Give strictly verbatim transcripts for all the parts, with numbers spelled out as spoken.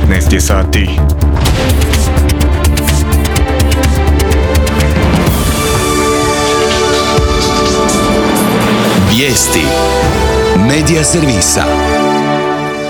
petnaest je sati. Vijesti Medija servisa.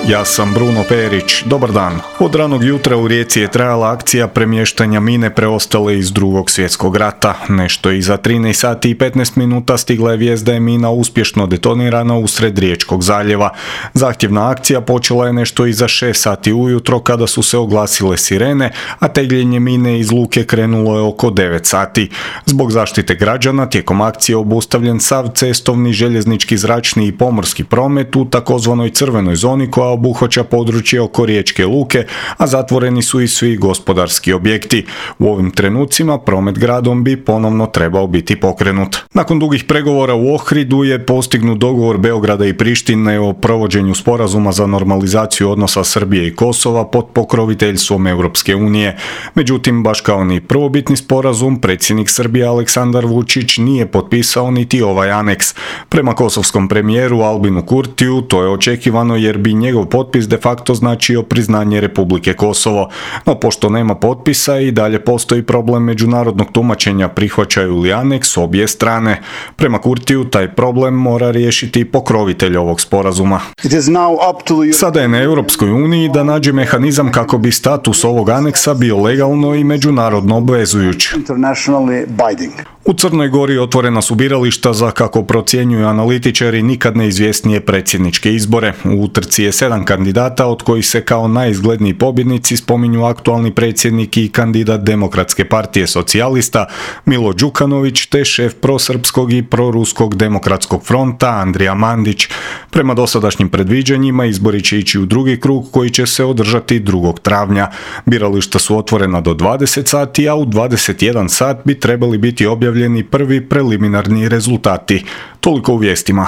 Ja sam Bruno Perić. Dobar dan. Od ranog jutra u Rijeci je trajala akcija premještanja mine preostale iz Drugog svjetskog rata. Nešto iza trinaest sati i petnaest minuta stigla je vijest da je mina uspješno detonirana usred Riječkog zaljeva. Zahtjevna akcija počela je nešto iza šest sati ujutro kada su se oglasile sirene, a tegljenje mine iz luke krenulo je oko devet sati. Zbog zaštite građana tijekom akcije obustavljen sav cestovni, željeznički, zračni i pomorski promet u takozvanoj crvenoj zoni koja obuhvaća područje oko Riječke luke, a zatvoreni su i svi gospodarski objekti. U ovim trenucima promet gradom bi ponovno trebao biti pokrenut. Nakon dugih pregovora u Ohridu je postignut dogovor Beograda i Prištine o provođenju sporazuma za normalizaciju odnosa Srbije i Kosova pod pokroviteljstvom Europske unije. Međutim, baš kao ni prvobitni sporazum, predsjednik Srbije Aleksandar Vučić nije potpisao niti ovaj aneks. Prema kosovskom premijeru Albinu Kurtiju to je očekivano jer bi njegov potpis de facto značio priznanje Republike Kosovo. No pošto nema potpisa i dalje postoji problem međunarodnog tumačenja prihvaćaju li aneks obje strane. Prema Kurtiju taj problem mora riješiti pokrovitelj ovog sporazuma. Sada je na Europskoj uniji da nađe mehanizam kako bi status ovog aneksa bio legalno i međunarodno obvezujuć. U Crnoj Gori otvorena su birališta za, kako procjenjuju analitičari, nikad neizvjesnije predsjedničke izbore. U utrci je sedam kandidata, od kojih se kao najizgledniji pobjednici spominju aktualni predsjednik i kandidat Demokratske partije socijalista Milo Đukanović te šef prosrpskog i proruskog demokratskog fronta Andrija Mandić. Prema dosadašnjim predviđanjima izbori će ići u drugi krug koji će se održati drugog travnja. Birališta su otvorena do dvadeset sati, a u dvadeset jedan sat bi trebali biti objavljeni prvi preliminarni rezultati. Toliko u vijestima.